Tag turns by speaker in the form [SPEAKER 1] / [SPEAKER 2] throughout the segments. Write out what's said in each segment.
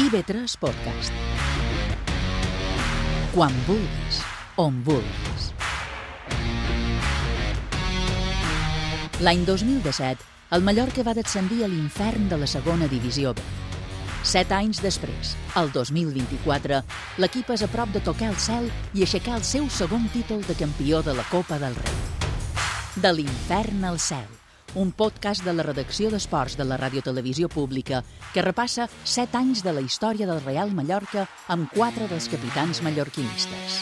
[SPEAKER 1] IB3 Podcast. Quan vulguis, on vulguis. L'any 2017, el Mallorca va descendir a l'infern de la segona divisió B. 7 anys després, el 2024, l'equip és a prop de tocar el cel i aixecar el seu segon títol de campió de la Copa del Rei. De l'infern al cel, un podcast de la redacció d'esports de la Radiotelevisió Pública que repassa 7 anys de la història del Real Mallorca amb 4 dels capitans mallorquinistes.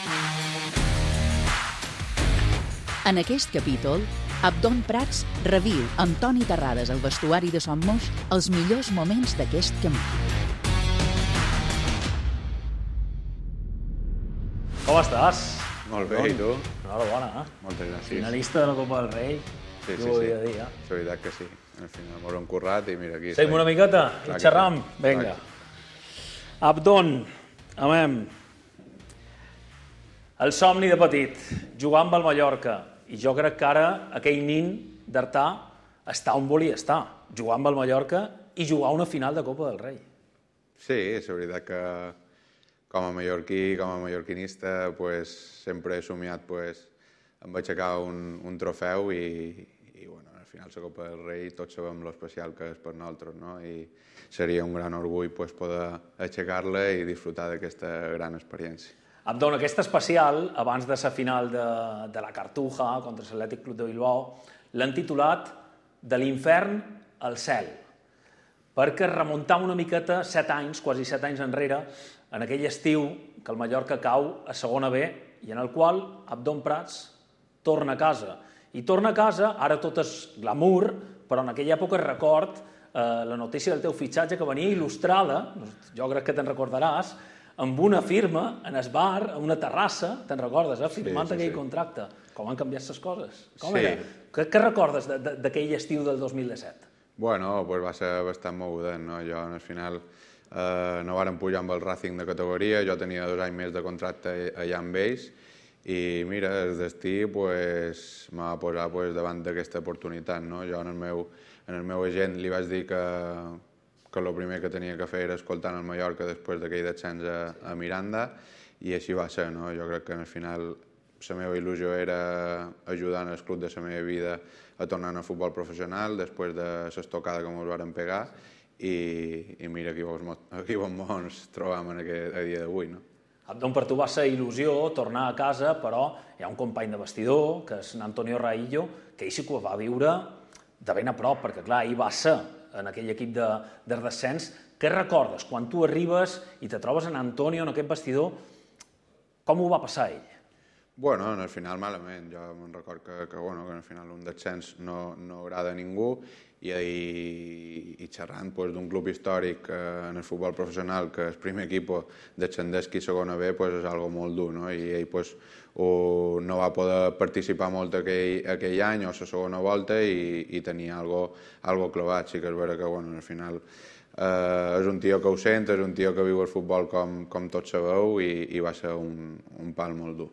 [SPEAKER 1] En aquest capítol, Abdon Prats reviu amb Toni Terrades al vestuari de Son Moix els millors moments d'aquest camí.
[SPEAKER 2] Com estàs?
[SPEAKER 3] Molt bé, i tu?
[SPEAKER 2] Enhorabona,
[SPEAKER 3] Moltes gràcies.
[SPEAKER 2] Finalista de la Copa del Rei.
[SPEAKER 3] Sí.
[SPEAKER 2] Jo ho havia de dir,
[SPEAKER 3] És veritat que sí. Al final m'ho hem currat i mira aquí.
[SPEAKER 2] Seguim una miqueta i xerram? Vinga. Abdon, amem. El somni de petit, jugar amb el Mallorca. I jo crec que ara aquell nin d'Artà està on volia estar. Jugar amb el Mallorca i jugar una final de Copa del Rei.
[SPEAKER 3] Sí, és veritat que com a mallorquí, com a mallorquinista, sempre he somiat amb aixecar un trofeu i bueno, al final la Copa del Rei tots sabem l'especial que és per nosaltres, no? I seria un gran orgull poder aixecar-la i disfrutar d'aquesta gran experiència.
[SPEAKER 2] Abdon, aquesta especial, abans de la final de la Cartuja contra l'Atlètic Club de Bilbao, l'han titulat De l'infern al cel, perquè remuntam una miqueta 7 anys, quasi 7 anys enrere, en aquell estiu que el Mallorca cau a segona B i en el qual Abdon Prats torna a casa. I torna a casa, ara tot és glamour, però en aquella època record la notícia del teu fitxatge que venia il·lustrada, jo crec que te'n recordaràs, amb una firma en el bar, a una terrassa, te'n recordes, firmant aquell contracte. Com han canviat les coses? Com era? Què recordes d'aquell estiu del 2017?
[SPEAKER 3] Bueno, va ser bastant mogudent, no? Jo, al final, no vàrem pujar amb el Racing de categoria, jo tenia 2 anys més de contracte allà amb ells, i mira, el destí m'ha posat davant d'aquesta oportunitat, no? Jo en el meu agent li vaig dir que el primer que tenia que fer era escoltar el Mallorca després d'aquell descens a Miranda, i així va ser, no? Jo crec que al final la meva il·lusió era ajudar el club de la meva vida a tornar al futbol professional després de l'estocada que ens varen pegar, i mira aquí on ens trobam a dia d'avui, no?
[SPEAKER 2] Abdon, per tu va ser il·lusió tornar a casa, però hi ha un company de vestidor, que és Antonio Raillo, que ell sí que ho va viure de ben a prop, perquè clar, ell va ser en aquell equip de descens. Què recordes quan tu arribes i te trobes en Antonio en aquest vestidor? Com ho va passar ell?
[SPEAKER 3] Bueno, al final malament. Jo me'n record que al final un descens no agrada a ningú, i xerrant d'un club històric en el futbol professional, que el primer equip descendesqui a segona B, és algo molt dur, no? I ell no va poder participar molt aquell any o la segona volta i tenia algo clavat. Sí que és vera que al final és un tio que ho sent, és un tio que viu el futbol com tots sabeu, i va ser un pal molt dur.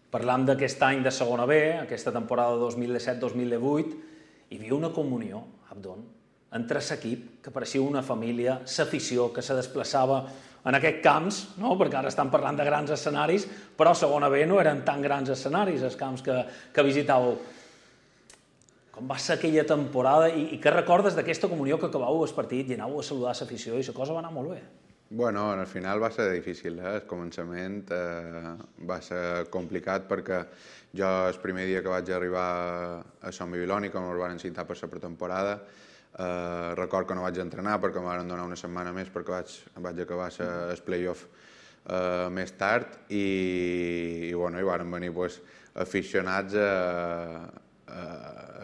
[SPEAKER 2] Parlant d'aquest any de segona B, aquesta temporada 2017-2018, hi havia una comunió, Abdon, entre l'equip, que pareixia una família, l'afició que se desplaçava en aquests camps, no? Perquè ara estan parlant de grans escenaris, però a segona B no eren tan grans escenaris, els camps que visitàveu. Com va ser aquella temporada i què recordes d'aquesta comunió que acabàveu el partit i anàveu a saludar l'afició i la cosa va anar molt bé?
[SPEAKER 3] Bueno, al final va ser difícil, el començament va ser complicat perquè jo el primer dia que vaig arribar a Sant Babilònia, quan ens van citar per la pretemporada, record que no vaig entrenar perquè em van donar una setmana més perquè vaig acabar el play-off més tard, i varen venir aficionats a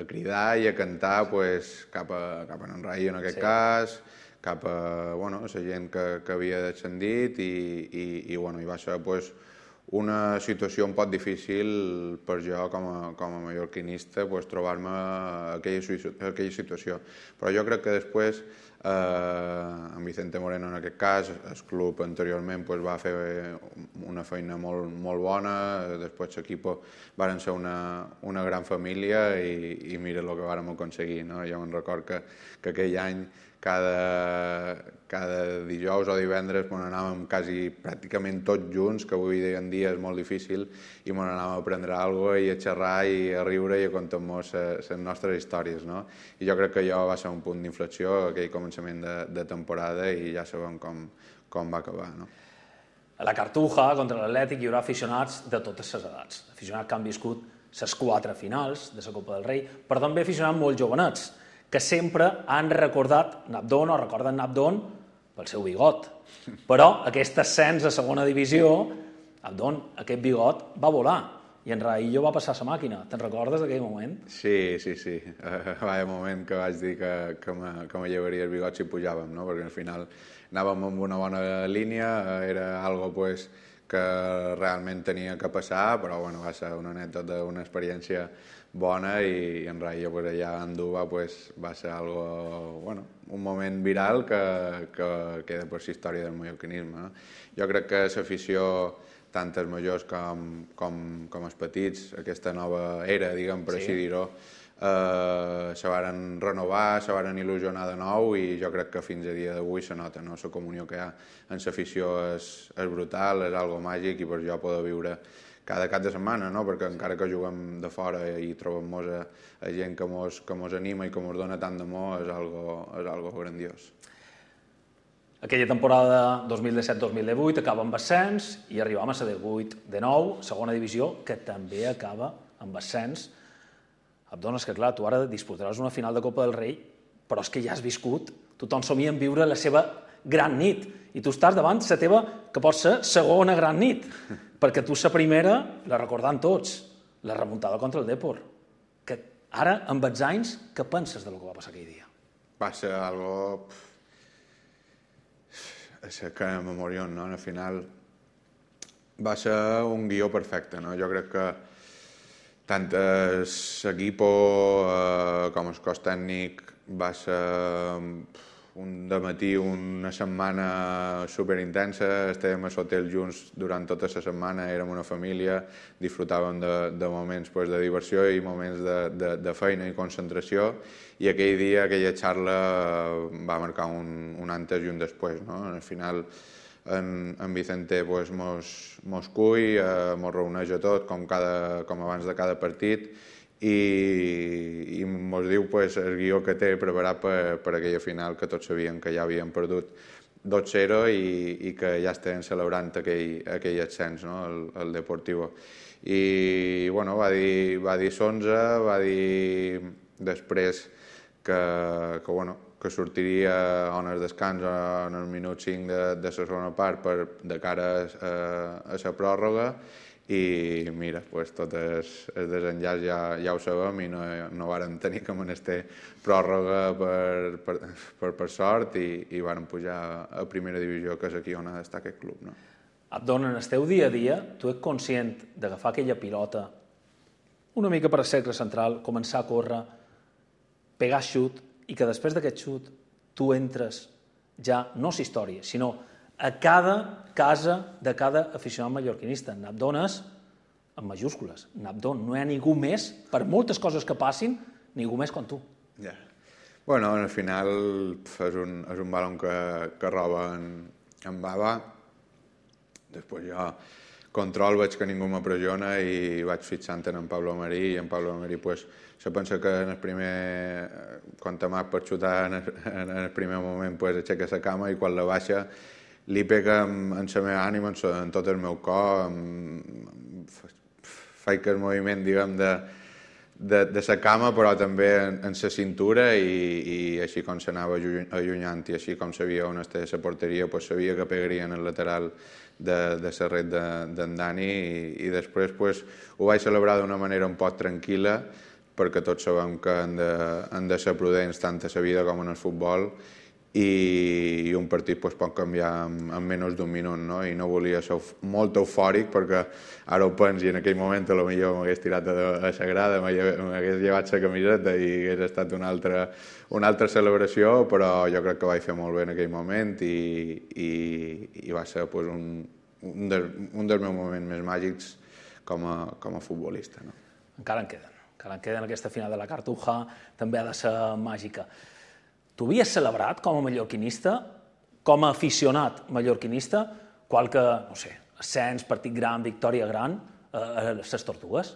[SPEAKER 3] cridar i a cantar cap a en Rai en aquest cas, cap a la gent que havia descendit, i va ser una situació un poc difícil per jo com a mallorquinista trobar-me aquella situació. Però jo crec que després, en Vicente Moreno en aquest cas, el club anteriorment va fer una feina molt bona, després l'equip varen ser una gran família i mira el que vàrem aconseguir. Jo me'n record que aquell any cada dijous o divendres anàvem quasi pràcticament tots junts, que avui en dia és molt difícil, i anàvem a prendre alguna cosa i a xerrar i a riure i a contar-nos les nostres històries, no? I jo crec que allò va ser un punt d'inflexió, aquell començament de temporada, i ja sabem com va acabar, no?
[SPEAKER 2] A la Cartuja, contra l'Atlètic, hi haurà aficionats de totes les edats. Aficionats que han viscut les 4 finals de la Copa del Rei, però també aficionats molt jovenets, que sempre han recordat Nabdon o recorden Nabdon pel seu bigot. Però aquest ascens a segona divisió, Nabdon, aquest bigot va volar i en Raillo va passar la màquina. Te'n recordes d'aquell moment?
[SPEAKER 3] Sí. Vaya moment que vaig dir que me llevaria el bigot si pujàvem, no? Perquè al final anàvem amb una bona línia, era algo pues, que realment tenia que passar, però bueno, va ser una anècdota, una experiència bona, i en Raillo pues, allà a Andúba pues, va ser algo, bueno, un moment viral que queda per la història del mallorquinisme, no? Jo crec que l'afició, tant els majors com els petits, aquesta nova era, diguem, per així dir-ho, se varen renovar, se varen il·lusionar de nou, i jo crec que fins a dia d'avui se nota, no? La comunió que hi ha en l'afició és brutal, és algo màgic, i per jo poder viure cada cap de setmana, no? Perquè encara que juguem de fora i trobem-nos a gent que mos anima i que mos dona tant d'amor, és algo grandiós.
[SPEAKER 2] Aquella temporada 2017-2018 acaba amb ascens i arribam a la 18-19, segona divisió, que també acaba amb ascens. Abdon, és que clar, tu ara disputaràs una final de Copa del Rei, però és que ja has viscut, tothom somia en viure la seva gran nit, i tu estàs davant la teva, que pot ser segona gran nit, perquè tu la primera la recordant tots, la remuntada contra el Depor. Que ara, amb els anys, què penses de lo que va passar aquell dia?
[SPEAKER 3] Va ser algo... És que memorió, no? Al final va ser un guió perfecte, no? Jo crec que tant l'equip com el cos tècnic va ser un dematí, una setmana superintensa, estàvem a l'hotel junts durant tota la setmana, érem una família, disfrutàvem de moments de diversió i moments de feina i concentració, i aquell dia, aquella xarra va marcar un antes i un després, no? Al final en Vicente mos cull, mos reuneix a tot com abans de cada partit, i mos diu el guió que té preparat per aquella final, que tots sabien que ja havien perdut 2-0 i que ja estaven celebrant aquell ascens, no? El Deportivo. I bueno, va dir Sonza, va dir després que sortiria en el descans en el minut 5 de la segona part de cara a la pròrroga, i mira, tot el desenllaç ja ho sabem, i no vàrem tenir que menester pròrroga per sort, i vàrem pujar a primera divisió, que és aquí on ha d'estar aquest club, no?
[SPEAKER 2] Abdon, en el teu dia a dia, tu ets conscient d'agafar aquella pilota una mica per al cercle central, començar a córrer, pegar xut, i que després d'aquest xut tu entres ja, no a la història, sinó a cada casa de cada aficionat mallorquinista. Nabdon és en majúscules. Nabdon, no hi ha ningú més, per moltes coses que passin, ningú més com tu.
[SPEAKER 3] Ja. Bueno, al final és un balon que roba en Baba. Després jo control, veig que ningú m'apressiona i vaig fixant en Pablo Marí, i en Pablo Marí se pensa que en el primer, quan t'amac per xutar en el primer moment aixeca la cama, i quan la baixa li pega en la meva ànima, en tot el meu cor, faig el moviment, diguem, de la cama, però també en la cintura, i així com s'anava allunyant i així com sabia on estava la porteria, sabia que pegaria en el lateral de la red d'en Dani, i després ho vaig celebrar d'una manera un poc tranquil·la, perquè tots sabem que han de ser prudents tant a la vida com en el futbol, i un partit pot canviar en menys d'un minut, no? I no volia ser molt eufòric, perquè ara ho penso, i en aquell moment potser m'hagués tirat a la grada, m'hagués llevat la camiseta i hagués estat una altra celebració, però jo crec que vaig fer molt bé en aquell moment, i va ser un dels meus moments més màgics com a futbolista, no?
[SPEAKER 2] Encara en queden aquesta final de la Cartuja, també ha de ser màgica. Tu havies celebrat com a mallorquinista, com a aficionat mallorquinista, qualque, no sé, ascens, partit gran, victòria gran, a les Tortugues?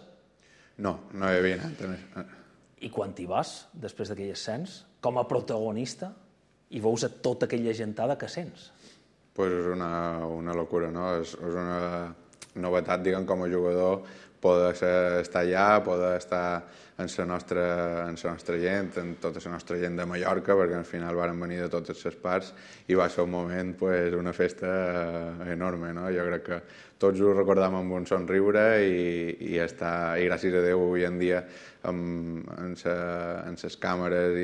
[SPEAKER 3] No, no hi havia anat.
[SPEAKER 2] I quan t'hi vas, després d'aquell ascens, com a protagonista, i veus a tota aquella gentada que sents?
[SPEAKER 3] Pues és una locura, no? És una novetat, diguem, com a jugador, poder estar allà, poder estar en la nostra gent, en tota la nostra gent de Mallorca, perquè al final varen venir de totes les parts i va ser un moment, pues, una festa enorme, no? Jo crec que tots ho recordam amb un somriure i gràcies a Déu avui en dia en les càmeres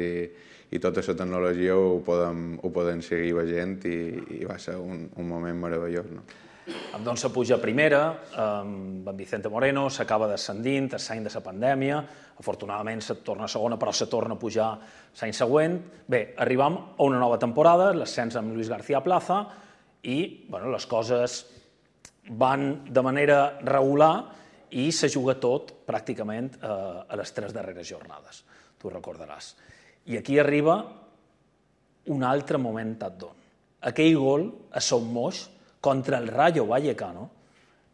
[SPEAKER 3] i tota la tecnologia ho podem seguir veient i va ser un moment meravellós, no?
[SPEAKER 2] Abdón se puja a primera, amb Vicente Moreno, s'acaba descendint, tercer any de la pandèmia, afortunadament se torna a segona, però se torna a pujar l'any següent. Bé, arribam a una nova temporada, l'ascens amb Luis García Plaza, i les coses van de manera regular i se juga tot pràcticament a les 3 darreres jornades, tu recordaràs. I aquí arriba un altre moment d'Abdón. Aquell gol a Son Moix contra el Rayo Vallecano,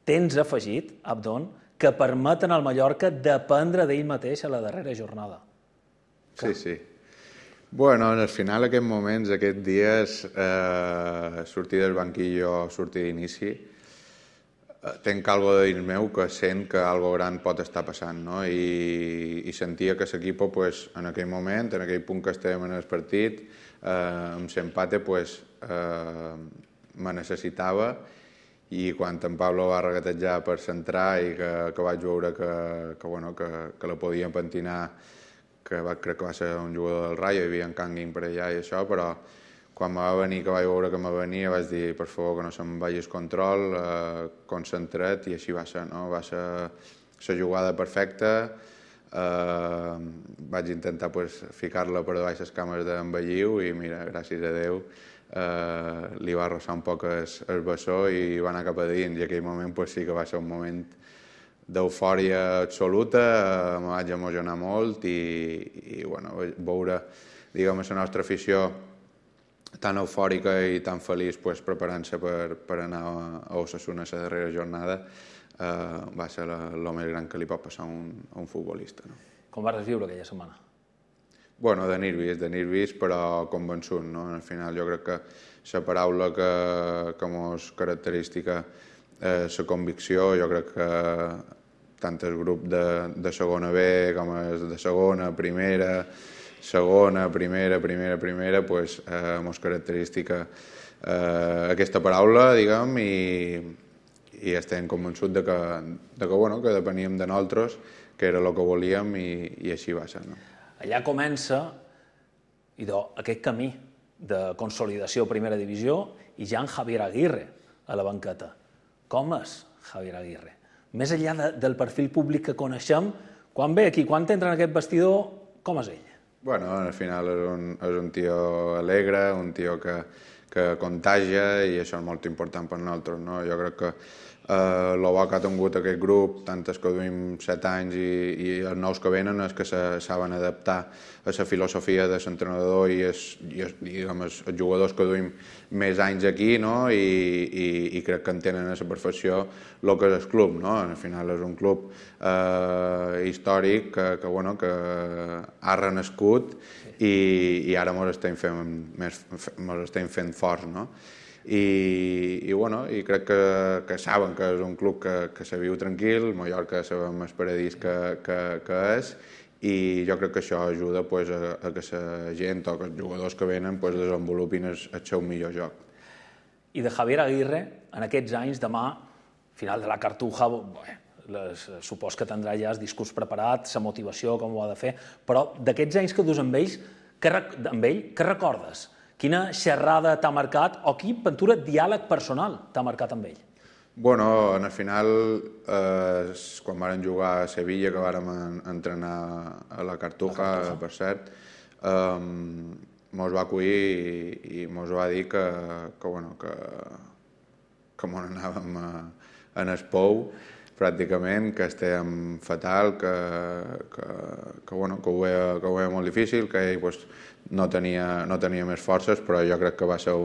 [SPEAKER 2] tens afegit, Abdón, que permeten al Mallorca dependre d'ell mateix a la darrera jornada.
[SPEAKER 3] Sí. Bueno, al final, aquests moments, aquests dies, sortir del banquillo, sortir d'inici, tenc algo de dins meu que sent que algo gran pot estar passant, no? I sentia que l'equip, pues, en aquell moment, en aquell punt que estàvem en el partit, amb l'empate, pues, me necessitava, i quan en Pablo va regatejar per centrar i que vaig veure que la podia pentinar, crec que va ser un jugador del Rayo, hi havia en Kangin per allà i això, però quan me va venir, que vaig veure que me venia, vaig dir, per favor, que no se'm vagi el control, concentrat, i així va ser, no? Va ser la jugada perfecta. Vaig intentar, pues, ficar-la per davall les cames d'en Belliu i mira, gràcies a Déu, li va arrossar un poc el bessó i va anar cap a dins, i aquell moment, pues, sí que va ser un moment d'eufòria absoluta, me vaig emocionar molt i veure, diguem, la nostra afició tan eufòrica i tan feliç, pues, preparant-se per anar a Osasuna la darrera jornada, va ser el més gran que li pot passar a un futbolista, no?
[SPEAKER 2] Com vas viure aquella setmana?
[SPEAKER 3] Bueno, de nervis, però convençut, no? Al final jo crec que la paraula que mos característica la convicció. Jo crec que tant el grup de segona B com el de segona, primera, segona, primera, pues mos característica aquesta paraula, diguem, i estem convençuts que depeníem de nosaltres, que era el que volíem, i així va ser, no?
[SPEAKER 2] Allà comença aquest camí de consolidació a primera divisió i ja en Javier Aguirre a la banqueta. Com és Javier Aguirre? Més enllà del perfil públic que coneixem, quan ve aquí, quan entra en aquest vestidor, com és ell?
[SPEAKER 3] Bueno, al final és un tio alegre, un tio que contagia, i això és molt important per nosaltres, no? Jo crec que el bo que ha tingut aquest grup, tant els que duim 7 anys i els nous que venen, és que saben adaptar a la filosofia de l'entrenador i els jugadors que duim més anys aquí, no? I crec que entenen a la perfecció el que és el club, no? Al final és un club històric que ha renascut i ara ens estem fent forts, no? I crec que saben que és un club que se viu tranquil, Mallorca sabem el paradís que és, i jo crec que això ajuda a que la gent o que els jugadors que venen desenvolupin el seu millor joc.
[SPEAKER 2] I de Javier Aguirre, en aquests anys, demà, final de la Cartuja, supos que tindrà ja el discurs preparat, la motivació, com ho ha de fer, però d'aquests anys que dus amb ell, què recordes? Quina xerrada t'ha marcat o quin pintura diàleg personal t'ha marcat amb ell?
[SPEAKER 3] Bueno, al final, quan vàrem jugar a Sevilla, que vàrem entrenar a la Cartuja, per cert, mos va acollir i mos va dir que mos anàvem en el pou, pràcticament, que estem fatal, que ho veia molt difícil, que ell pues, no tenia més forces, però jo crec que va ser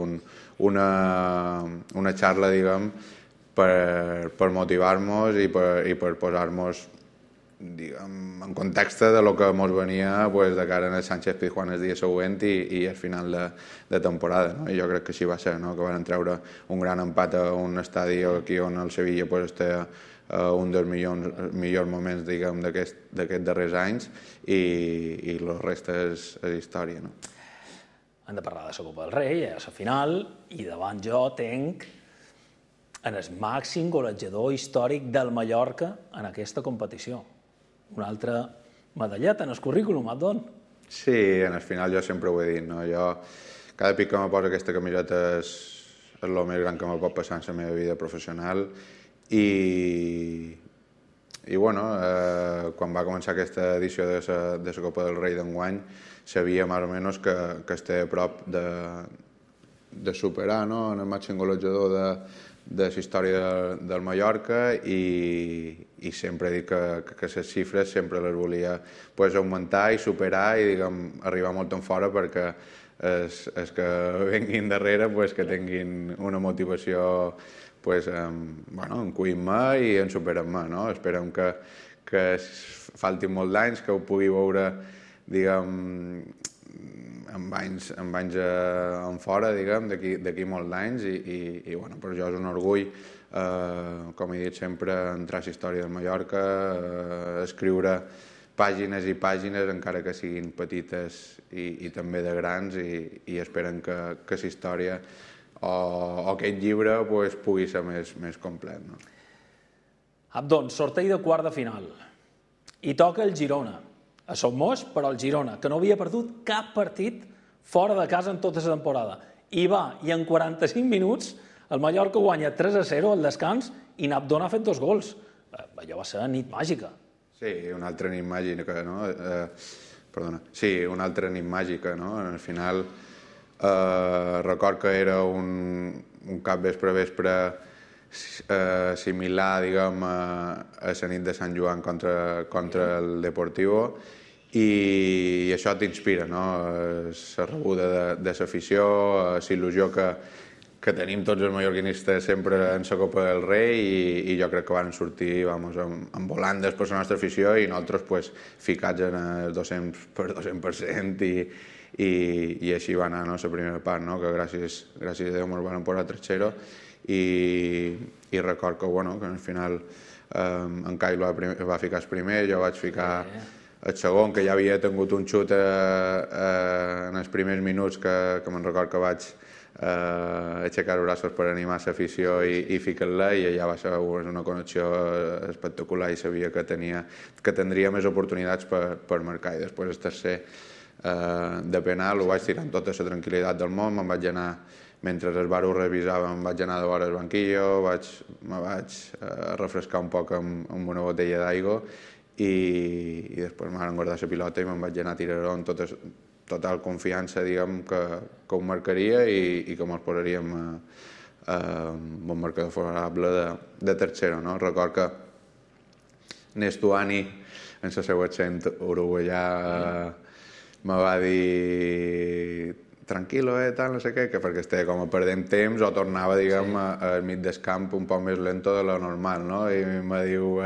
[SPEAKER 3] una xarra, diguem, per motivar-nos i per posar-nos en context de lo que ens venia de cara al Sánchez-Pizjuán el dia següent i al final de temporada. I jo crec que així va ser, que van treure un gran empat a un estadi aquí on el Sevilla està un dels millors moments d'aquests darrers anys i la resta és història.
[SPEAKER 2] Hem de parlar de la Copa del Rei, a la final, i davant jo tenc en el màxim golejador històric del Mallorca en aquesta competició. Una altra medalleta en el currículum, Abdon.
[SPEAKER 3] Sí, en el final jo sempre ho he dit. Jo, cada pic que me posa aquesta camiseta és el més gran que me pot passar en la meva vida professional i quan va començar aquesta edició de la Copa del Rei d'enguany sabia més o menys que estava a prop de superar en el màxim golejador de la història del Mallorca i sempre he dit que les xifres sempre les volia augmentar i superar i arribar molt en fora perquè els que venguin darrere que tinguin una motivació en cuir-me i en superar-me. Esperem que faltin molts anys, que ho pugui veure amb anys en fora, d'aquí molts anys, i per jo és un orgull, com he dit sempre, entrar a la història del Mallorca, escriure pàgines i pàgines, encara que siguin petites i també de grans, i esperen que la història o aquest llibre pugui ser més complet.
[SPEAKER 2] Abdon, sorteig de quart de final, i toca el Girona. A Son Moix, però el Girona, que no havia perdut cap partit fora de casa en tota la temporada. I en 45 minuts el Mallorca guanya 3-0 al descans i n'Abdon ha fet 2 gols. Allò va ser nit màgica.
[SPEAKER 3] Sí, una altra nit màgica, no? Perdona. Sí, una altra nit màgica, no? Al final, record que era un capvespre similar, diguem, a la nit de Sant Joan contra el Deportivo, i això t'inspira, no? La rebuda de l'afició, la il·lusió que tenim tots els mallorquinistes sempre en la Copa del Rei, i jo crec que van sortir amb volandes per la nostra afició i nosaltres ficats en el 200% i així va anar la primera part, que gràcies a Déu ens van posar 3-0 i record que al final en Cai va ficar el primer, jo vaig ficar el segon, que ja havia tingut un xut en els primers minuts que me'n record que vaig aixecar els braços per animar l'afició i ficar-la, i allà va ser una connexió espectacular i sabia que tindria més oportunitats per marcar. I després el tercer de penal ho vaig tirar amb tota la tranquil·litat del món, me'n vaig anar, mentre el bar ho revisava, me'n vaig anar de vora al banquillo, me vaig refrescar un poc amb una botella d'aigua i després m'han guardat la pilota i me'n vaig anar a tirar-ho amb total confiança, diguem, que ho marcaria i que ens posaríem amb un marcador favorable de tercera. Record que Nestuani, en el seu accent uruguaià, me va dir tranquil·lo, tal, no sé què, que perquè estava com a perdent temps o tornava, diguem, al mig del camp un poc més lento de lo normal, no? I me diu,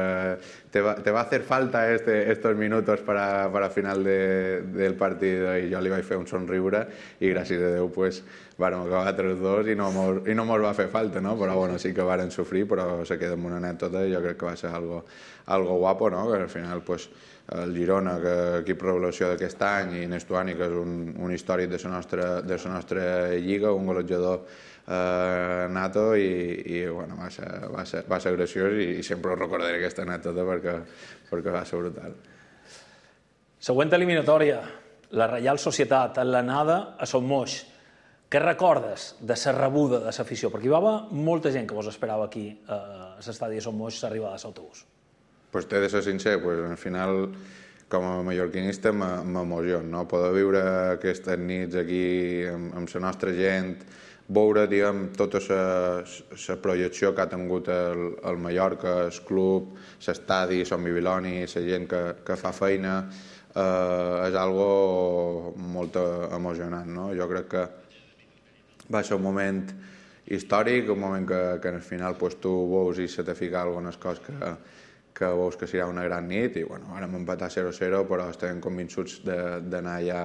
[SPEAKER 3] te va a hacer falta estos minutos para final del partido, i jo li vaig fer un somriure i gràcies a Déu vàrem acabar 3-2 i no mos va fer falta, no? Però bueno, sí que varen sofrir, però se queda amb una anècdota i jo crec que va ser algo guapo, no? Que al final el Girona, que equip revelació d'aquest any, i Nestuani, que és un històric de la nostra lliga, un golejador nato, i bueno, va ser graciós i sempre recordaré aquesta anècdota perquè va ser brutal.
[SPEAKER 2] Següent eliminatòria, la Reial Societat, en l'anada a Son Moix. Què recordes de la rebuda de l'afició? Perquè hi va haver molta gent que vos esperava aquí a l'estadi de Son Moix l'arribada de l'autobús.
[SPEAKER 3] Pues t'he de ser sincer, al final, com a mallorquinista, m'emociona, no? Poder viure aquestes nits aquí amb la nostra gent, veure, diguem, tota la projecció que ha tingut el Mallorca, el club, l'estadi, Son Bibiloni, la gent que fa feina, és algo molt emocionant, no? Jo crec que va ser un moment històric, un moment que al final tu veus i se te fica algunes coses que veus que serà una gran nit i bueno, ara hem empatat 0-0 però estem convençuts d'anar ja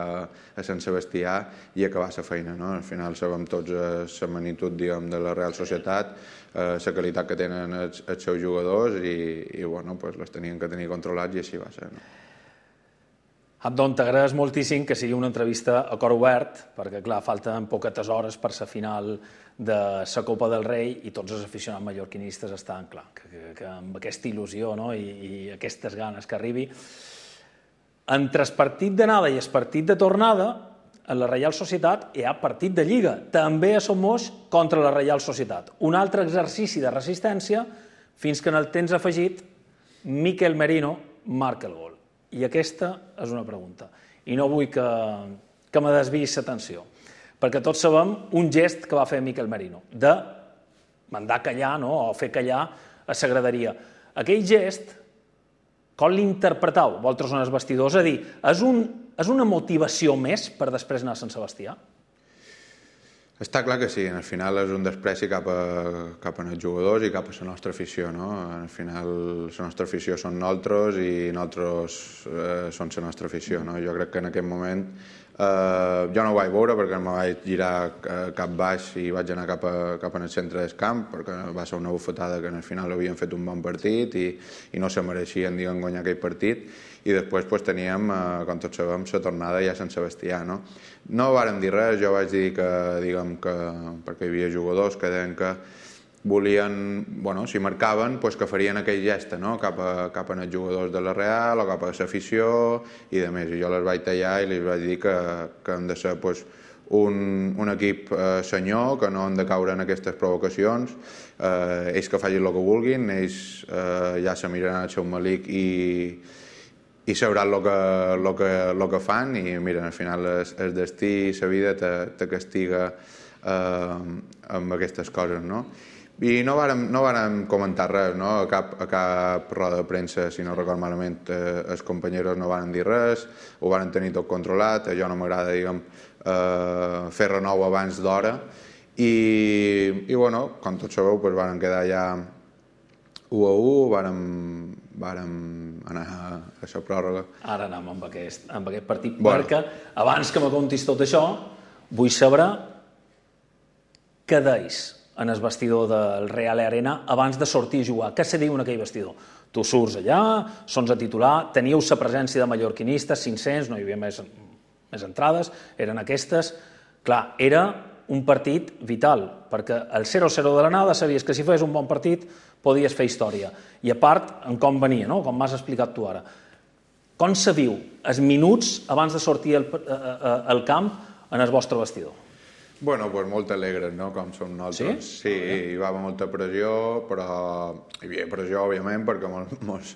[SPEAKER 3] a Sant Sebastià i acabar la feina, no? Al final sabem tots la magnitud, diguem, de la Real Societat, la qualitat que tenen els seus jugadors i bueno, les tenien que tenir controlats i així va ser, no?
[SPEAKER 2] Abdon, t'agraeix moltíssim que sigui una entrevista a cor obert, perquè, clar, falten poquetes hores per la final de la Copa del Rei i tots els aficionats mallorquinistes estan, clar, que amb aquesta il·lusió, no? I aquestes ganes que arribi. Entre el partit d'anada i el partit de tornada, a la Reial Societat hi ha partit de Lliga, també a Somos contra la Reial Societat. Un altre exercici de resistència fins que en el temps afegit Mikel Merino marca el gol. I aquesta és una pregunta. I no vull que me desviïs l'atenció, perquè tots sabem un gest que va fer Mikel Merino, de mandar callar, no?, o fer callar a la graderia. Aquell gest, com l'interpretau vosaltres en els vestidors? És a dir, és una motivació més per després anar a Sant Sebastià?
[SPEAKER 3] Està clar que sí, al final és un despreci cap als jugadors i cap a la nostra afició, no? Al final la nostra afició són nosaltres i nosaltres som la nostra afició, no? Jo crec que en aquest moment jo no ho vaig veure perquè em vaig girar cap baix i vaig anar cap al centre del camp perquè va ser una bufetada que al final havien fet un bon partit i no se mereixien, diguem, guanyar aquell partit i després teníem, com tots sabem, la tornada ja a Sant Sebastià, no? No vàrem dir res, jo vaig dir que, diguem, perquè hi havia jugadors que deien que volien, bueno, si marcaven, que farien aquell gest, no?, cap als jugadors de la Real o cap a l'afició i de més. I jo les vaig tallar i els vaig dir que han de ser un equip senyor, que no han de caure en aquestes provocacions, ells que facin el que vulguin, ells ja se miraran al seu malic i sabran el que fan i mira, al final el destí i la vida te castiga amb aquestes coses, no? I no vàrem comentar res, no? A cap roda de premsa, si no record malament, els companyeros no varen dir res, ho varen tenir tot controlat, a jo no m'agrada, diguem, fer renou abans d'hora i bueno, com tots sabeu, varen quedar ja 1-1, vàrem anar a la pròrroga. Ara
[SPEAKER 2] anem amb aquest partit, perquè abans que me contis tot això, vull saber què deis en el vestidor del Real Arena abans de sortir a jugar. Què se diu en aquell vestidor? Tu surts allà, sons a titular, teníeu la presència de mallorquinistes, 500, no hi havia més entrades, eren aquestes. Clar, era un partit vital, perquè el 0-0 de l'anada sabies que si feies un bon partit podies fer història. I a part, en com venia, no?, com m'has explicat tu ara. Com se viu els minuts abans de sortir al camp en el vostre vestidor?
[SPEAKER 3] Bueno, molt alegres, no?, com som nosaltres. Sí, hi va haver molta pressió, però hi havia pressió, òbviament, perquè mos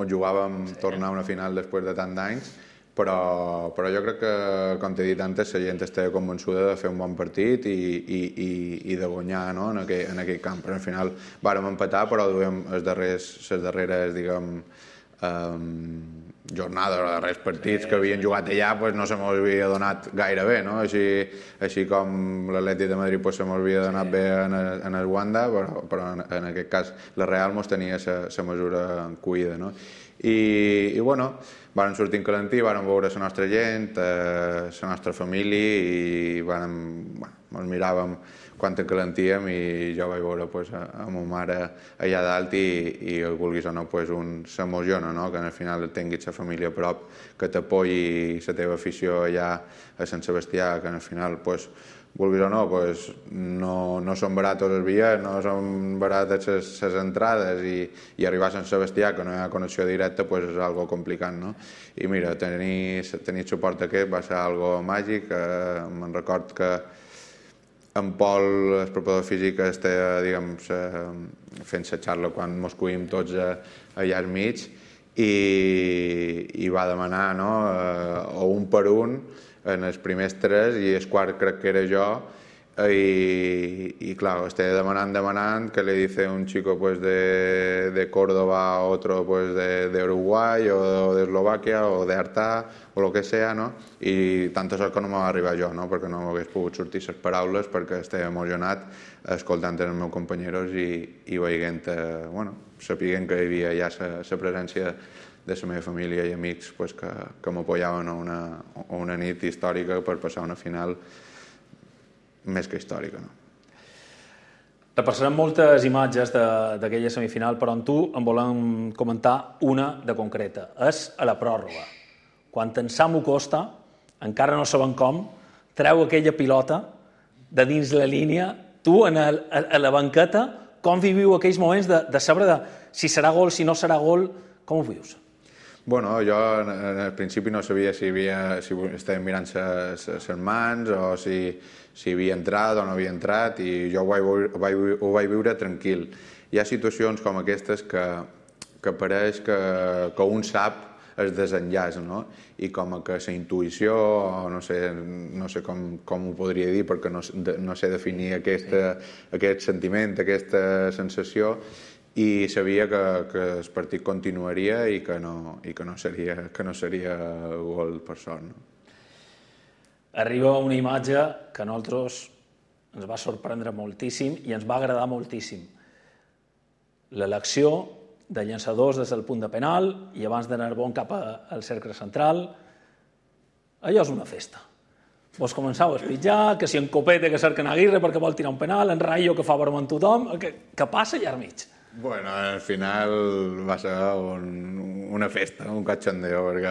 [SPEAKER 3] jugàvem tornar a una final després de tant d'anys, però jo crec que, com t'he dit antes, la gent estava convençuda de fer un bon partit i de guanyar, no?, en aquell camp. Però al final vàrem empatar, però duem les darreres, diguem, jornades o darrers partits que havien jugat allà no se m'havia donat gaire bé, no? Així com l'Atlètic de Madrid se m'havia donat bé en el Wanda, però en aquest cas la Real mos tenia la mesura cuida, no? I bueno, vàrem sortir en calentí, vàrem veure la nostra gent, la nostra família i ens miràvem quan calentíem i jo vaig veure a ma mare allà dalt i vulguis o no s'emociona, no?, que al final tinguis la família a prop, que t'apoyi la teva afició allà a Sant Sebastià, que al final, vulguis o no, no són baratos els bitllets, no són barates les entrades i arribar a Sant Sebastià, que no hi ha connexió directa, és algo complicat, no? I mira, tenir suport aquest va ser algo màgic. Me'n record que en Pol, el preparador físic, estava, diguem, fent la xarra quan mos coïm tots allà al mig i va demanar, no?, o un per un en els primers 3 i el quart crec que era jo, y claro, esté demanant, que le dice un chico pues de Córdoba a otro pues de Uruguay o de Eslovaquia o de Artà o el que sea, no? I tant sort que no m'ha arribat jo, no? Perquè no m'hagués pogut sortir les paraules perquè estava emocionat escoltant els meus companys i veient, sapiguent que hi havia ja la presència de la meva família i amics pues, que m'apoyaven a una nit històrica per passar una final més que històrica. No?
[SPEAKER 2] Repassarem moltes imatges d'aquella semifinal, però en tu en volem comentar una de concreta. És a la pròrroga. Quan en Samu Costa, encara no saben com, treu aquella pilota de dins la línia, tu a la banqueta, com viviu aquells moments de saber si serà gol, si no serà gol, com ho vius?
[SPEAKER 3] Bueno, jo al principi no sabia si estàvem mirant les mans o si havia entrat o no havia entrat i jo ho vaig viure tranquil. Hi ha situacions com aquestes que pareix que un sap el desenllaç, no? I com que la intuïció, no sé com ho podria dir perquè no sé definir aquest sentiment, aquesta sensació, i sabia que el partit continuaria i que no seria gol per sort. No?
[SPEAKER 2] Arriba una imatge que a nosaltres ens va sorprendre moltíssim i ens va agradar moltíssim. L'elecció de llançadors des del punt de penal i abans d'anar bon cap al cercle central. Allò és una festa. Vos començau a espitjar, que si en Copete que cerquen Aguirre perquè vol tirar un penal, en Rayo que fa broma amb tothom, què passa allà al mig?
[SPEAKER 3] Bueno, al final va ser una festa, un cachondeo, perquè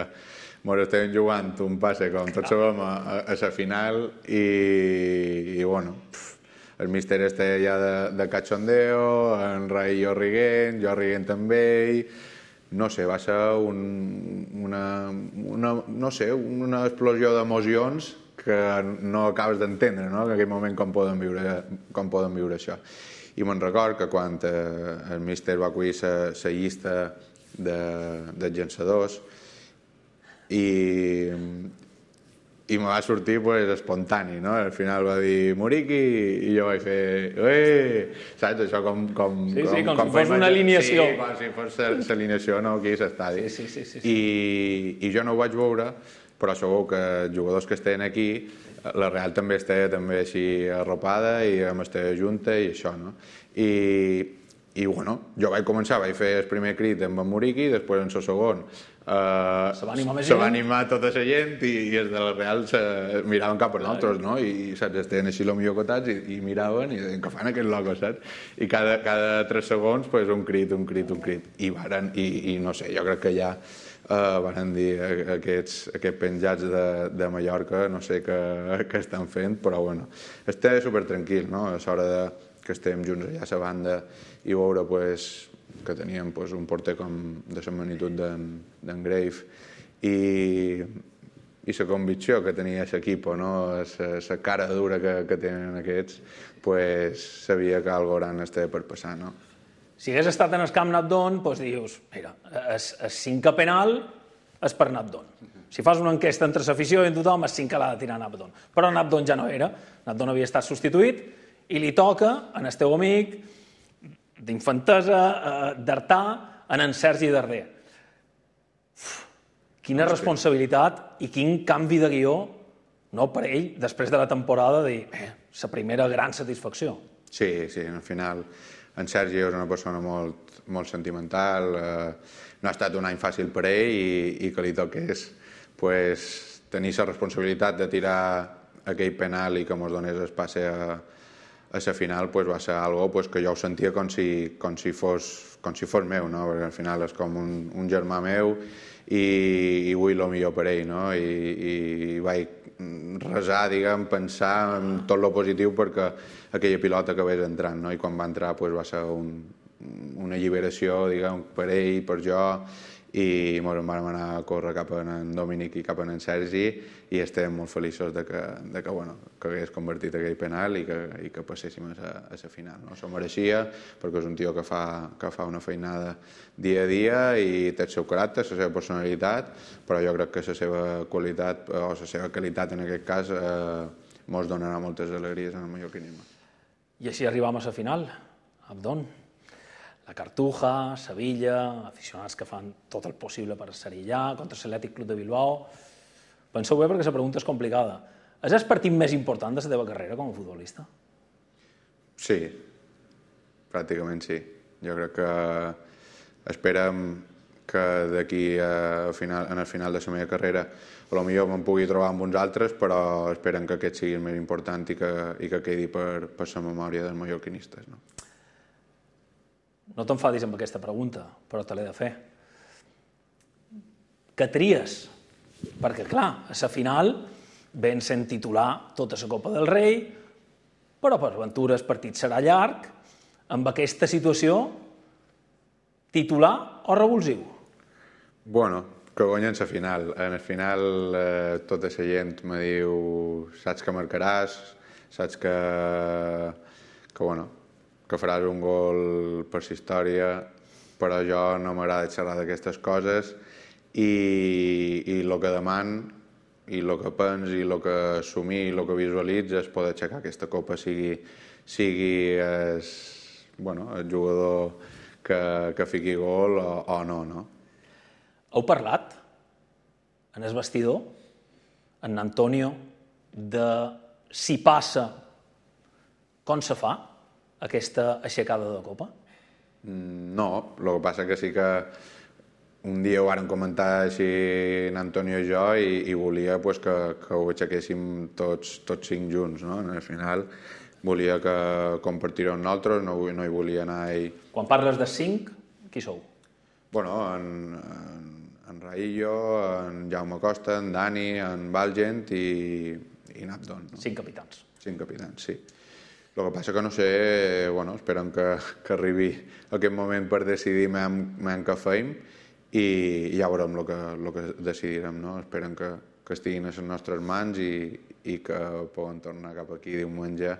[SPEAKER 3] ens estàvem jugant un passe, com tots sabem, a la final i bueno, el míster està ja de cachondeo, en Rayo riguent, jo riguent amb ell, no sé, va ser una explosió d'emocions que no acabes d'entendre, no? En aquell moment com poden viure això. I me'n record que quan el míster va acollir la llista dels llançadors i me va sortir espontani, no? Al final va dir Muriqui i jo vaig fer saps? Això com
[SPEAKER 2] si fos una alineació.
[SPEAKER 3] Sí, com si fos l'alineació aquí a l'estadi. I jo no ho vaig veure, però segur que els jugadors que estaven aquí, la Real també estava així arropada i vam estar junta i això, no? I bueno, jo vaig fer el primer crit amb en Muriqui, després en el segon se va animar tota la gent i els de la Real miraven cap a nosaltres, no? I saps, estaven així millor cotats i miraven i deien que fan aquests locos, saps? I cada 3 segons un crit. I no sé, jo crec que ja van dir aquests penjats de Mallorca, no sé què estan fent, però bueno, està supertranquil, no? A l'hora que estem junts allà a la banda i veure que teníem un porter com de la magnitud d'en Grave i la convicció que tenia l'equip, la cara dura que tenen aquests, sabia que algo gran estava per passar, no?
[SPEAKER 2] Si hagués estat en el camp Nabdon, dius, mira, el 5è penal és per Nabdon. Si fas una enquesta entre l'afició i tothom, el 5è l'ha de tirar Nabdon. Però Nabdon ja no era, Nabdon havia estat substituït i li toca en el teu amic d'infantesa, d'Artà, en Sergi Darder. Quina responsabilitat i quin canvi de guió, no per ell, després de la temporada, de dir, la primera gran satisfacció.
[SPEAKER 3] Sí, al final en Sergi és una persona molt sentimental, no ha estat un any fàcil per ell i que li toqués tenir la responsabilitat de tirar aquell penal i que ens donés el passe a la final va ser algo que jo ho sentia com si fos meu, no? Perquè al final és com un germà meu i vull el millor per ell, no? I vaig resar, pensar en tot el positiu perquè aquella pilota acabés entrant, no? I quan va entrar va ser una alliberació, per ell, per jo, i ens vam anar a córrer cap a en Dominic i cap a en Sergi i estem molt feliços que hagués convertit aquell penal i que passéssim a la final. S'ho mereixia perquè és un tio que fa una feinada dia a dia i té el seu caràcter, la seva personalitat, però jo crec que la seva qualitat o la seva qualitat en aquest cas mos donarà moltes alegries en el mallorquinisme.
[SPEAKER 2] I així arribam a la final, Abdon. La Cartuja, Sevilla, aficionats que fan tot el possible per ser-hi allà, contra l'Atlètic Club de Bilbao. Penseu bé perquè la pregunta és complicada. És el partit més important de la teva carrera com a futbolista?
[SPEAKER 3] Sí, pràcticament sí. Jo crec que esperem que d'aquí en el final de la meva carrera potser me'n pugui trobar amb uns altres, però esperen que aquest sigui el més important i que quedi per la memòria dels mallorquinistes.
[SPEAKER 2] No t'enfadis amb aquesta pregunta, però te l'he de fer. Que tries? Perquè, clar, a la final ven sent titular tota la Copa del Rei, però per aventura el partit serà llarg. Amb aquesta situació, titular o revulsiu?
[SPEAKER 3] Bueno, que guanyen la final. En el final tota la gent me diu saps que marcaràs, saps que faràs un gol per la història, però jo no m'agrada xerrar d'aquestes coses i el que deman i el que pens i el que assumir i el que visualitza és poder aixecar aquesta copa, sigui el jugador que fiqui gol o no.
[SPEAKER 2] Heu parlat en el vestidor, en Antonio, de si passa, com se fa aquesta aixecada de copa?
[SPEAKER 3] No, el que passa que sí que un dia ho vàrem comentar així en Antonio i jo i volia que ho aixequéssim tots 5 junts, no? Al final volia que compartir-ho amb nosaltres, no hi volia anar ell.
[SPEAKER 2] Quan parles de 5, qui sou?
[SPEAKER 3] Bueno, en Raillo, en Jaume Costa, en Dani, en Valgent i en Abdon.
[SPEAKER 2] 5 capitans.
[SPEAKER 3] 5 capitans, sí. El que passa que no sé, esperem que arribi aquest moment per decidir què feim i ja veurem el que decidirem, no? Esperem que estiguin a les nostres mans i que poden tornar cap aquí diumenge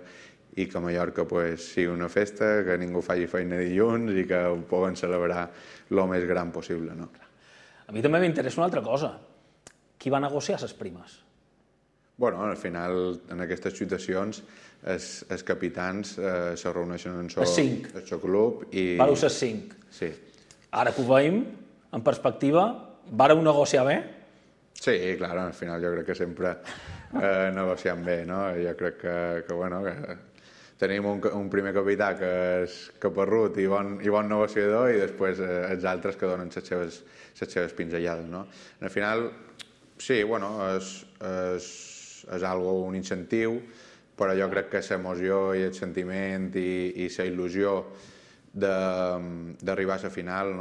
[SPEAKER 3] i que a Mallorca sigui una festa, que ningú faci feina dilluns i que ho poden celebrar el més gran possible, no?
[SPEAKER 2] A mi també m'interessa una altra cosa. Qui va negociar les primes?
[SPEAKER 3] Bueno, al final, en aquestes situacions, els capitans se reuneixen en el seu club i...
[SPEAKER 2] Vareu ser 5.
[SPEAKER 3] Sí.
[SPEAKER 2] Ara que ho veiem, en perspectiva, vareu negociar bé?
[SPEAKER 3] Sí, clar, al final jo crec que sempre negociem bé, no? Jo crec que tenim un primer capità que és caparrut i bon negociador i després els altres que donen les seves pinzellades, no? Al final, sí, és un incentiu, però jo crec que l'emoció i el sentiment i la il·lusió d'arribar a la final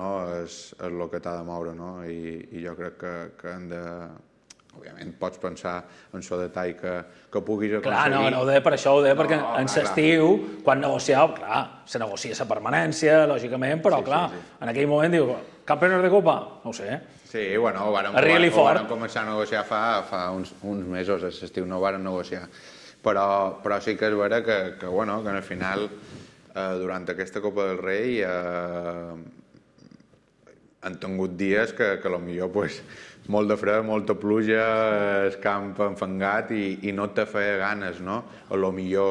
[SPEAKER 3] és el que t'ha de moure, no? I jo crec que hem de... Òbviament pots pensar en el detall que puguis aconseguir.
[SPEAKER 2] Clar, no ho deia per això, ho deia perquè en l'estiu, quan negocieu, clar, se negocia la permanència, lògicament, però clar, en aquell moment diu, campeones de Copa? No ho sé.
[SPEAKER 3] Sí, ho vàrem començar a negociar fa uns mesos, a l'estiu no ho vàrem negociar. Però sí que és vera que al final, durant aquesta Copa del Rei, han tingut dies que potser molt de fred, molta pluja, el camp enfangat i no te feia ganes, no? Potser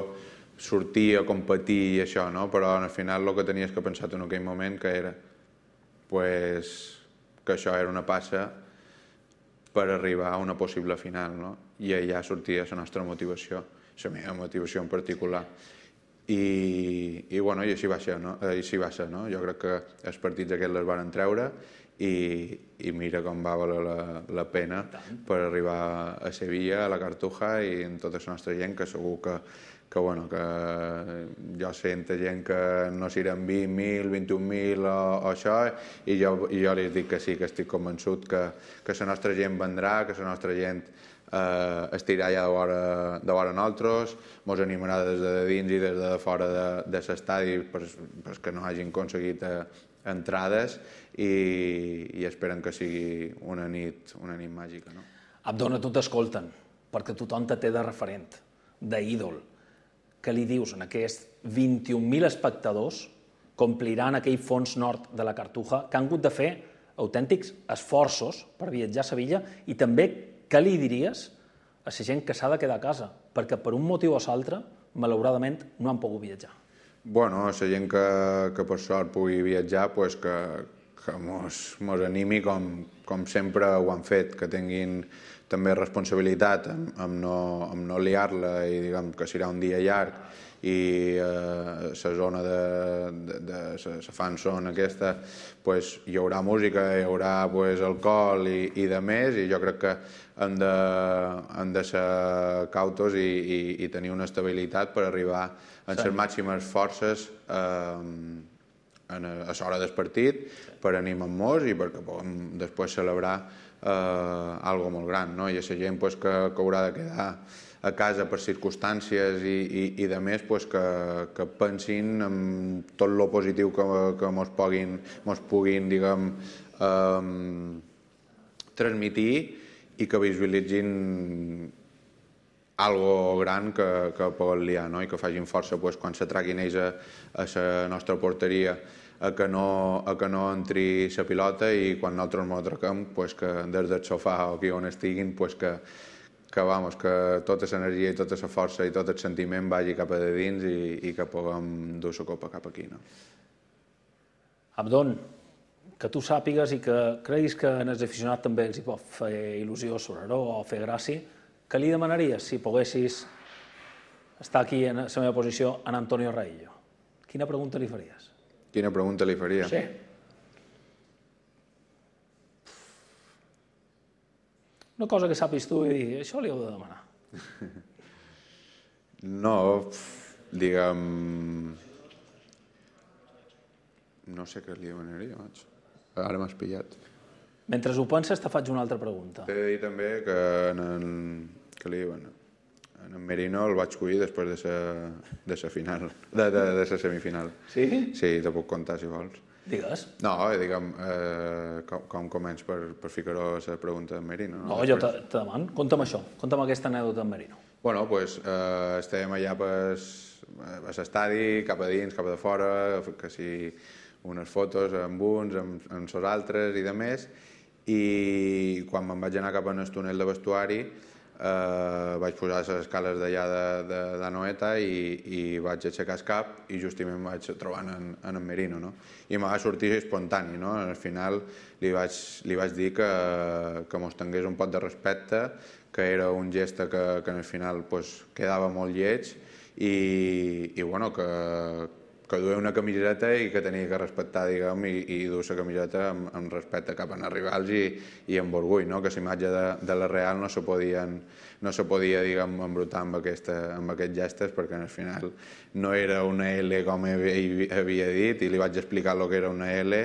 [SPEAKER 3] sortir a competir i això, no? Però al final el que tenies que pensar en aquell moment que era que això era una passa per arribar a una possible final, no? I allà sortia la nostra motivació, la meva motivació en particular. I així va ser, no? Jo crec que els partits aquests les van treure i mira com va valer la pena per arribar a Sevilla, a la Cartuja i amb tota la nostra gent, que segur que jo sento gent que no seran 20.000, 21.000 o això, i jo li dic que sí, que estic convençut que la nostra gent vendrà, que la nostra gent estirà allà de vora nosaltres, mos animarà des de dins i des de fora de l'estadi perquè no hagin aconseguit entrades i esperen que sigui una nit màgica, no?
[SPEAKER 2] Abdon, a tu t'escolten, perquè tothom te té de referent, d'ídol. Què li dius a aquests 21.000 espectadors que ompliran aquell fons nord de la Cartuja, que han hagut de fer autèntics esforços per viatjar a Sevilla, i també què li diries a la gent que s'ha de quedar a casa? perquè per un motiu o l'altre, malauradament, no han pogut viatjar.
[SPEAKER 3] Bueno, la gent que per sort pugui viatjar, pues que mos animi com sempre ho han fet, que tinguin també responsabilitat amb no liar-la i diguem que serà un dia llarg i la zona de la fan zona aquesta pues, hi haurà música, hi haurà pues, alcohol i de més, i jo crec que hem de ser cautos i tenir una estabilitat per arribar a les màximes forces a l'hora del partit, per animar-nos i perquè puguem després celebrar algo molt gran, no? I a la gent pues, que haurà de quedar a casa per circumstàncies i de més, pues, que pensin en tot lo positiu que mos puguin diguem, transmitir i que visualitzin algo gran que poden liar, no? I que facin força pues, quan se traguin ells a la nostra porteria a que no entri la pilota i quan nosaltres ens atraquem pues, que des del sofà o aquí on estiguin pues, que tota l'energia i tota la força i tot el sentiment vagi cap a dins i que puguem dur la copa cap aquí. No?
[SPEAKER 2] Abdon, que tu sàpigues i que creguis que als aficionats també els hi pot fer il·lusió sonar-ho o fer gràcia, què li demanaries si poguessis estar aquí en la meva posició en Antonio Raillo? Quina pregunta li faries?
[SPEAKER 3] Quina pregunta li faria?
[SPEAKER 2] Sí. Una cosa que sàpis tu i dir, això li heu de demanar.
[SPEAKER 3] No, diguem... No sé què li demanaria, maig. Ara m'has pillat.
[SPEAKER 2] Mentre ho penses, te faig una altra pregunta.
[SPEAKER 3] T'he de dir també que que li diuen... En Merino el vaig collir després de la final, de la semifinal.
[SPEAKER 2] Sí?
[SPEAKER 3] Sí, te puc contar si vols.
[SPEAKER 2] Digues.
[SPEAKER 3] No, diguem, com començ per ficar-ho a la pregunta d'en Merino.
[SPEAKER 2] No, jo te demano. Conta'm això, conta'm aquesta anècdota d'en Merino.
[SPEAKER 3] Bueno, doncs estàvem allà a l'estadi, cap a dins, cap a de fora, que si unes fotos amb uns, amb els altres i de més, i quan me'n vaig anar cap al túnel de vestuari vaig posar les escales d'allà de Noeta i vaig aixecar el cap i justament em vaig trobar en Merino, no? I me va sortir espontani, no? Al final li vaig dir que mos tingués un pot de respecte, que era un gest que al final quedava molt lleig i bueno, que duia una camiseta i que tenia que respectar, diguem, i dur la camiseta amb respecte cap als rivals i amb orgull, no? Que la imatge de la Real no se podia, diguem, embrutar amb aquests gestos, perquè al final no era una L com havia dit, i li vaig explicar el que era una L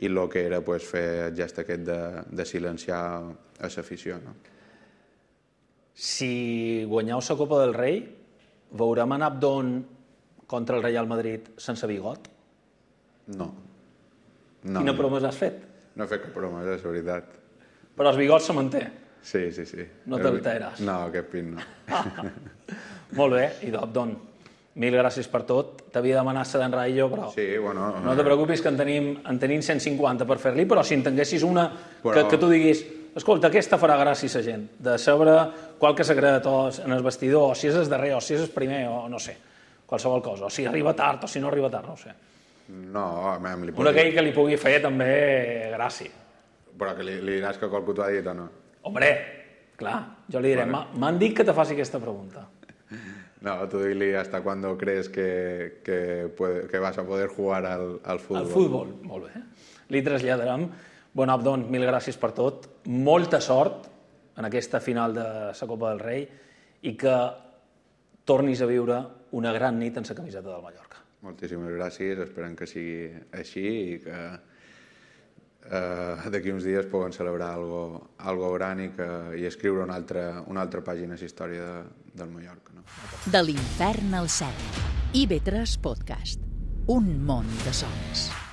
[SPEAKER 3] i el que era fer el gest aquest de silenciar a l'afició, no?
[SPEAKER 2] Si guanyeu la Copa del Rei, veurem en Abdon contra el Real Madrid sense bigot?
[SPEAKER 3] No.
[SPEAKER 2] Quina promesa has fet?
[SPEAKER 3] No he fet cap promesa, és veritat.
[SPEAKER 2] Però el bigot se manté?
[SPEAKER 3] Sí.
[SPEAKER 2] No t'alteres?
[SPEAKER 3] No, aquest pin no.
[SPEAKER 2] Molt bé, i Abdon, mil gràcies per tot. T'havia demanat la d'en Raillo, però
[SPEAKER 3] sí, bueno,
[SPEAKER 2] no te preocupis que en tenim 150 per fer-li, però si en tinguessis una que tu diguis escolta, aquesta farà gràcia a la gent, de saber qual que secret en el vestidor, o si és el darrer, o si és el primer, o no sé, qualsevol cosa, o si arriba tard, o si no arriba tard, no ho sé.
[SPEAKER 3] No, a mi li
[SPEAKER 2] una que li pugui fer també gràcia.
[SPEAKER 3] Però que li diràs que qualcú t'ho ha dit o no?
[SPEAKER 2] Hombre, clar, jo li diré, m'han dit que te faci aquesta pregunta.
[SPEAKER 3] No, tú dile hasta cuándo crees que vas a poder jugar al fútbol.
[SPEAKER 2] Al futbol, molt bé. Li traslladarem. Bon, Abdon, mil gràcies per tot. Molta sort en aquesta final de la Copa del Rei i que tornis a viure una gran nit en la camiseta del Mallorca.
[SPEAKER 3] Moltíssimes gràcies, esperem que sigui així i que d'aquí uns dies puguem celebrar algo gran i escriure una altra pàgina de la història del Mallorca. No?
[SPEAKER 1] De l'infern al cel. IB3 Podcast. Un món de sons.